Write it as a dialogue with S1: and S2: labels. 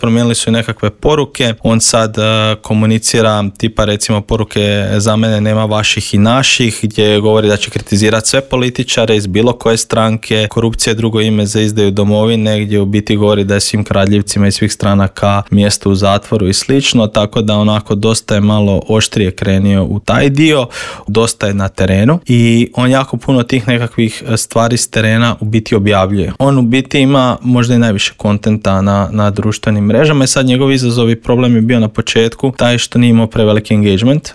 S1: promijenili su i nekakve poruke. On sad komunicira tipa recimo poruke za mene nema vaših i naših, gdje govori da će kritizirati sve političare iz bilo koje stranke, korupcija je drugo ime za izdaju domovine, gdje u biti govori da je svim kradljivcima iz svih stranaka mjesto u zatvoru i slično, tako da onako dosta je malo oštrije krenio u taj dio, dosta je na terenu i on jako puno tih nekakvih stvari s terena u biti objavljuje. On u biti ima možda i najviše kontenta na društvenim mrežama i sad njegov izazov i problem je bio na početku taj što nije imao preveliki engagement